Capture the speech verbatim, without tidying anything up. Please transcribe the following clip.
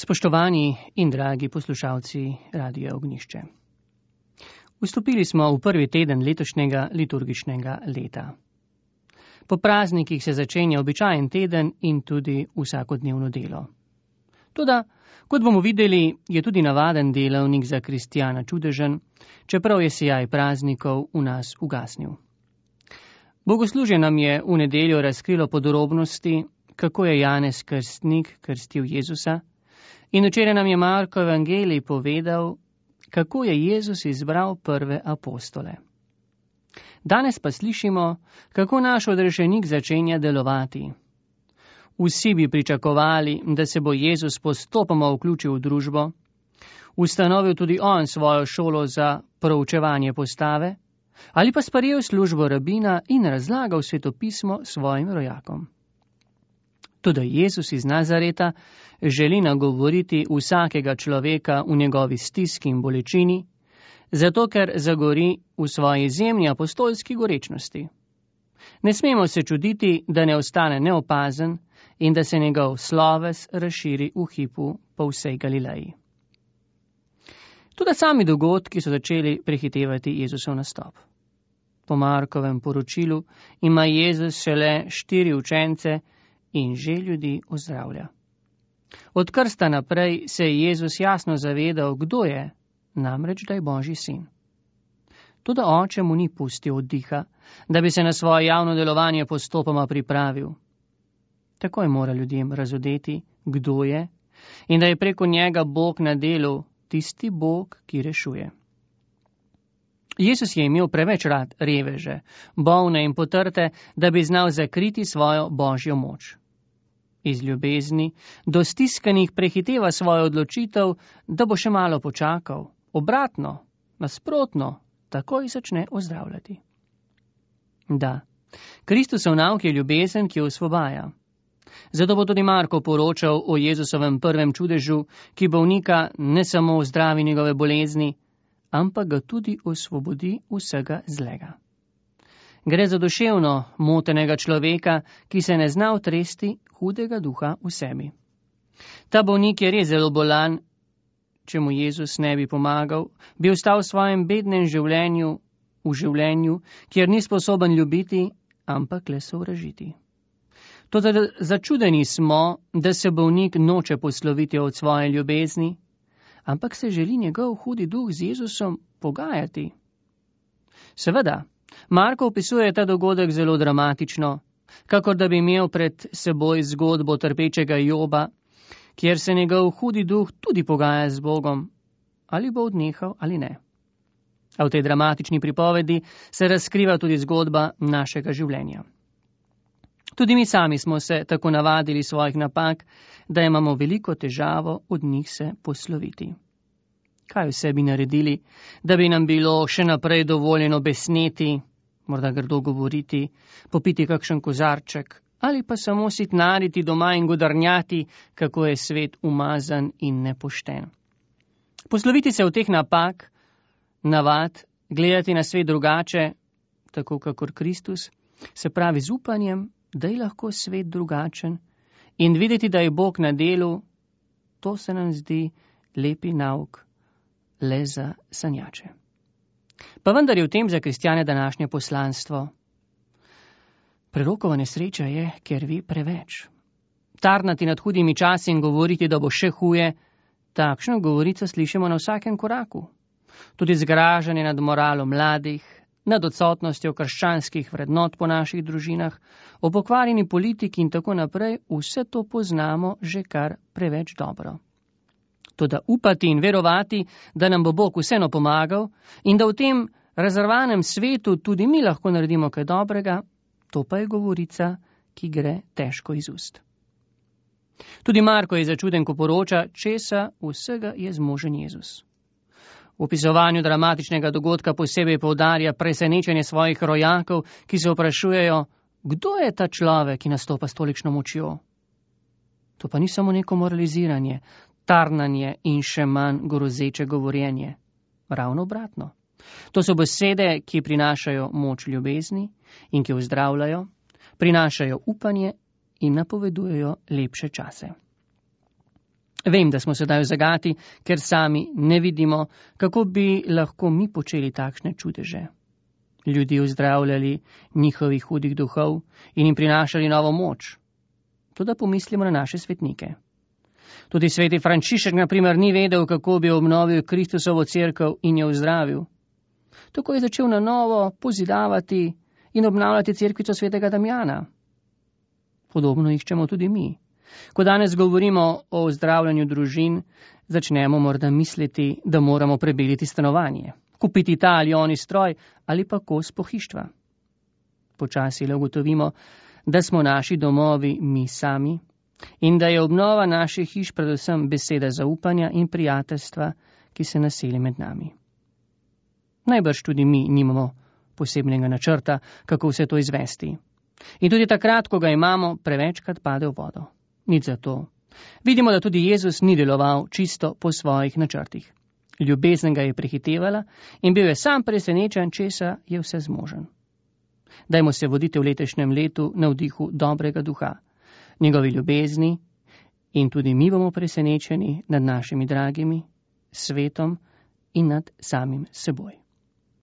Spoštovani in dragi poslušalci Radia Ognjišče. Vstopili smo v prvi teden letošnjega liturgičnega leta. Po praznikih se začenja običajen teden in tudi vsakodnevno delo. Toda, kot bomo videli, je tudi navaden delavnik za kristjana čudežen, čeprav je sijaj praznikov v nas ugasnil. Bogoslužje nam je v nedeljo razkrilo podrobnosti, kako je Janez Krstnik krstil Jezusa, in včeraj nam je Marko evangelij povedal, kako je Jezus izbral prve apostole. Danes pa slišimo, kako naš odrešenik začenja delovati. Vsi bi pričakovali, da se bo Jezus postopoma vključil v družbo, ustanovil tudi on svojo šolo za proučevanje postave, ali pa sprejel službo rabina in razlagal svetopismo svojim rojakom. Toda Jezus iz Nazareta želi nagovoriti vsakega človeka v njegovi stiski in bolečini, zato ker zagori v svoji izjemni apostolski gorečnosti. Ne smemo se čuditi, da ne ostane neopazen in da se njegov sloves razširi v hipu po vsej Galileji. Tudi sami dogodki so začeli prehitevati Jezusov nastop. Po Markovem poročilu ima Jezus šele štiri učence in že ljudi ozdravlja. Od krsta naprej se je Jezus jasno zavedal, kdo je, namreč da je Božji sin. Toda oče mu ni pustil oddiha, da bi se na svoje javno delovanje postopoma pripravil. Tako je moral ljudem razodeti, kdo je in da je preko njega Bog na delu, tisti Bog, ki rešuje. Jezus je imel preveč rad reveže, bolne in potrte, da bi znal zakriti svojo Božjo moč. Iz ljubezni do stiskanih prehiteva svojo odločitev, da bo še malo počakal. Obratno, nasprotno, takoj začne ozdravljati. Da, Kristusov nauk je ljubezen, ki osvobaja. Zato bo tudi Marko poročal o Jezusovem prvem čudežu, ki bolnika ne samo ozdravi njegove bolezni, ampak ga tudi osvobodi vsega zlega. Gre za duševno motenega človeka, ki se ne zna otresti hudega duha v sebi. Ta bolnik je res zelo bolan, če mu Jezus ne bi pomagal, bi ostal v svojem bednem življenju, v življenju, kjer ni sposoben ljubiti, ampak le sovražiti. Toda začudeni smo, da se bolnik noče posloviti od svoje ljubezni, ampak se želi njegov hudi duh z Jezusom pogajati. Seveda, Marko opisuje ta dogodek zelo dramatično, kakor da bi imel pred seboj zgodbo trpečega Joba, kjer se njegov hudi duh tudi pogaja z Bogom, ali bo odnehal ali ne. A v tej dramatični pripovedi se razkriva tudi zgodba našega življenja. Tudi mi sami smo se tako navadili svojih napak, da imamo veliko težavo od njih se posloviti. Kaj vse bi naredili, da bi nam bilo še naprej dovoljeno besneti, morda grdo govoriti, popiti kakšen kozarček ali pa samo sitnariti doma in godarnjati, kako je svet umazan in nepošten. Posloviti se od teh napak, navad, gledati na svet drugače, tako kakor Kristus, se pravi z upanjem, da je lahko svet drugačen in videti, da je Bog na delu, to se nam zdi lepi nauk, le za sanjače. Pa vendar je v tem za kristjane današnje poslanstvo. Prerokova nesreča je, ker ve preveč. Tarnati nad hudimi časi in govoriti, da bo še huje, takšno govorico slišimo na vsakem koraku. Tudi zgražanje nad moralo mladih, nad odsotnostjo krščanskih vrednot po naših družinah, o pokvarjeni politiki in tako naprej, vse to poznamo že kar preveč dobro. Toda upati in verovati, da nam bo Bog vseeno pomagal in da v tem razrvanem svetu tudi mi lahko naredimo kaj dobrega, to pa je govorica, ki gre težko iz ust. Tudi Marko je začuden, ko poroča, česa vsega je zmožen Jezus. V opisovanju dramatičnega dogodka posebej poudarja presenečenje svojih rojakov, ki se vprašujejo, kdo je ta človek, ki nastopa s tolikšno močjo. To pa ni samo neko moraliziranje, tarnanje in še manj grozeče govorjenje. Ravno obratno. To so besede, ki prinašajo moč ljubezni in ki ozdravljajo, prinašajo upanje in napovedujejo lepše čase. Vem, da smo sedaj v zagati, ker sami ne vidimo, kako bi lahko mi počeli takšne čudeže. Ljudi uzdravljali njihovih hudih duhov in jim prinašali novo moč. Toda pomislimo na naše svetnike. Tudi sveti Frančišek, na primer, ni vedel, kako bi obnovil Kristusovo cerkev in jo uzdravil. Tako je začel na novo pozidavati in obnavljati cerkvico svetega Damjana. Podobno iščemo tudi mi. Ko danes govorimo o zdravljanju družin, začnemo morda misliti, da moramo prebeliti stanovanje, kupiti ta ali oni stroj ali pa kos pohištva. Počasi le ugotovimo, da smo naši domovi mi sami in da je obnova naših hiš predvsem beseda zaupanja in prijateljstva, ki se naseli med nami. Najbrž tudi mi nimamo posebnega načrta, kako vse to izvesti. In tudi takrat, ko ga imamo, prevečkrat pade v vodo. Nič za to. Vidimo, da tudi Jezus ni deloval čisto po svojih načrtih. Ljubezen ga je prehitevala in bil je sam presenečen, česa je vse zmožen. Dajmo se voditi v letošnjem letu na vdihu dobrega duha, njegovi ljubezni in tudi mi bomo presenečeni nad našimi dragimi, svetom in nad samim seboj.